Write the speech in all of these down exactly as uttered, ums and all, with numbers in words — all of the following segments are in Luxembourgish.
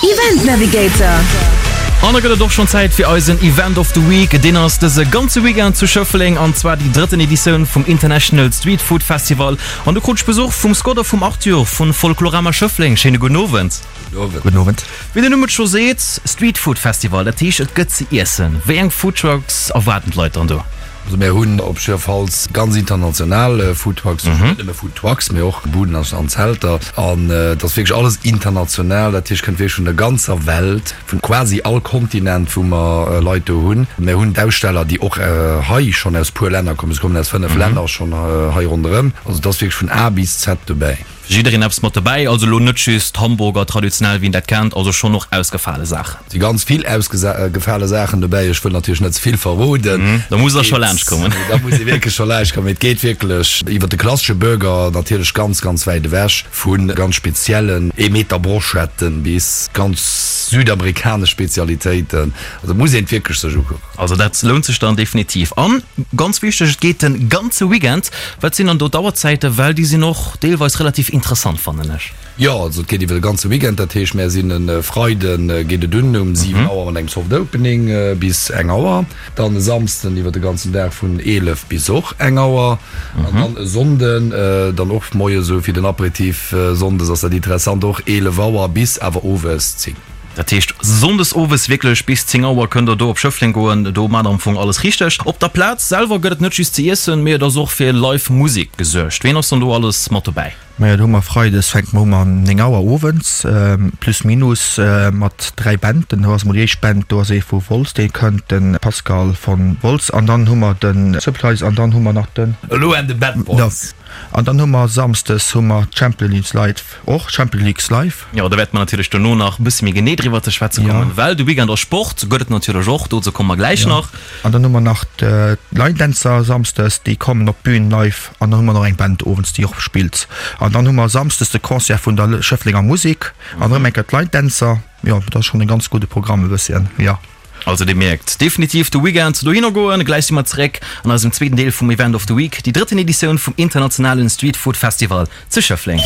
Event Navigator. An da gëtt et och schonn Zäit fir eisen Event of the Week. Deen ass dëse ganze Weekend zu Schëffleng an zwar déi drëtten Editioun vum International Street Food Festival. An do krut ech Besuch vum Scott a vum Arthur vun Folklorama Schëffleng. Schéine gudden Owend. Gudden Owend. Wéi den Numm et scho seet, Street Food Festival, dat heescht et gëtt ze iessen. Wéi eng Foodtrucks erwaarden d'Leit dann do? Also mär hunn op jiddwerfalls ganz international Foodtrucks, net nëmme Foodtrucks, mee och Buden an Zelter. An et ass wierklech alles international, dat heescht, kënnt wierklech vun der ganzer Welt, vun quasi all Kontinent, wou mer Leit do hunn. Mär hunn d'Aussteller, déi och hei schonn aus puer Länner kommen, se kommen aus fënnef Länner schonn hei ronderëm. Also et ass wierklech vun A bis Z dobäi. Fir jiddereen eppes mat dobäi, also elo net just Hamburger traditionell wéi een dat kennt, also schonn och ausgefale Saachen. Si ganz vill ausgefale Saachen dobäi, ech wëll natierlech net ze vill verroden. Da muss der scho laanscht kommen. Da muss ee wierklech scho laanscht kommen, mee et geet wierklech iwwer de klassesche Burger natierlech ganz, ganz wäit ewech, vu ganz speziellen ee Meter Brochetten bis ganz südamerikanesch Spezialitéiten. Also muss een et wierklech sech ukucken. Also dat lount sech dann definitiv. An ganz wichteg, et geet den ganze Weekend. Wat sinn dann do d'Auerzäiten, well déi sinn och deelweis relativ interessant fannen ech. Jo, also et geet iwwer de ganze Weekend, dat heescht mär sinn e Freide geet et un um siwen Auer mat engem Soft Opening bis eng Auer, dann e Samsden iwwer de ganzen Dag vun eelef bis och eng Auer an dann e Sonnden dann och moies esou fir den Aperitif, sonndes ass dat interessant, och eelef Auer bis awer owes zéng. Dat heescht Sonndes owes wierklech bis zéng Auer kënnt der do op Schëffleng goen. Do maacht der am Fong alles richteg. Op der Plaz selwer gëtt et net just ze iessen, mee et ass och fir live Musek gesuergt. Ween ass dann do alles mat dobäi? Majo, do hu mer Freides fänke mer u mam néng Auer owends, plus minus, mat dräi Banden. Do ass emol déi éischt Band, do ass ee vu Wolz, dee kënnt, de Pascal von Wolz. An dann hu mer de Supplice an dann hu mer nach den. Elo and the Bad Boys. An dann hu mer Samsdes hu mer d'Champions League Live, och Champions League Live. Jo, do wäerte mer natierlech dono nach e bësse méi genee driwwer ze schwätze kommen, well de Weekend ass Sport, gëtt et natierlech och, dozou komme mer gläich nach. An dann hu mer nach d'Line Dänzer Samsdes, déi kommen op d'Bün live. An dann hu mer nach eng Band owends, déi och spillt. An dann hu mer Samsdes de Concert vun der Schëfflenger Musek an erëm eng Kéier d'Line Dänzer. Jo, dat ass schonn e ganz gudde Programm e bësschen, jo. Also dir mierkt, definitiv de Weekend dohinner goen. Gläich si mer zeréck an eisem zweeten Deel vum Event of the Week, déi drëtten Editioun vum internationalen Street Food Festival zu Schëffleng.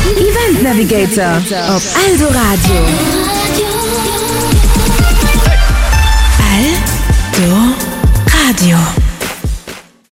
Event Navigator op Eldoradio. Eldoradio.